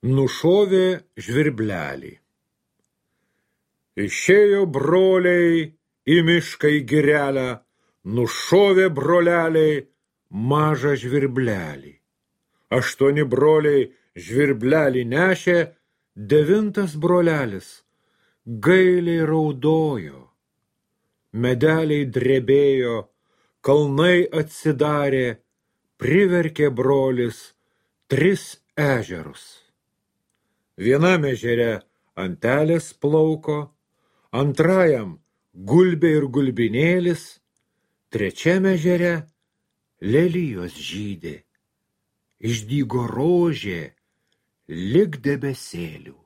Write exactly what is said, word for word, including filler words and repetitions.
Nušovė žvirblelį. Išėjo broliai į mišką į girelę, nušovė broleliai mažą žvirblelį. Aštuoni broliai žvirblelį nešė, devintas brolelis gailiai raudojo. Medeliai drebėjo, kalnai atsidarė, priverkė brolis tris ežerus. Vienam ežere antelės plauko, antrajam gulbė ir gulbinėlis, trečiam ežere lelijos žydė, išdygo rožė lig debesėlių.